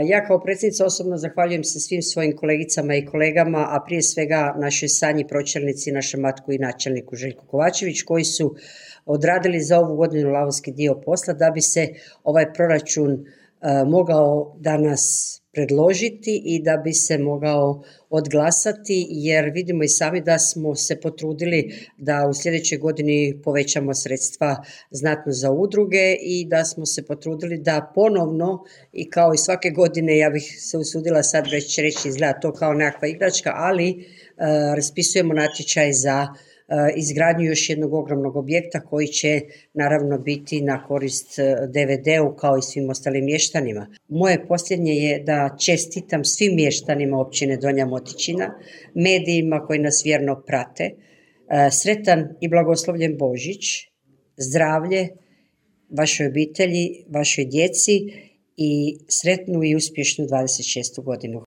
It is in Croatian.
Ja kao predsjednica osobno zahvaljujem se svim svojim kolegicama i kolegama, a prije svega našoj Sanji pročelnici, našem matku i načelniku Željku Kovačević, koji su odradili za ovu godinu lavovski dio posla da bi se ovaj proračun mogao danas predložiti i da bi se mogao odglasati, jer vidimo i sami da smo se potrudili da u sljedećoj godini povećamo sredstva znatno za udruge i da smo se potrudili da ponovno i kao i svake godine, ja bih se usudila sad već reći, izgleda to kao nekakva igračka, ali raspisujemo natječaj za izgradnju još jednog ogromnog objekta koji će naravno biti na korist DVD-u kao i svim ostalim mještanima. Moje posljednje je da čestitam svim mještanima općine Donja Motičina, medijima koji nas vjerno prate, sretan i blagoslovljen Božić, zdravlje vašoj obitelji, vašoj djeci i sretnu i uspješnu 26. godinu.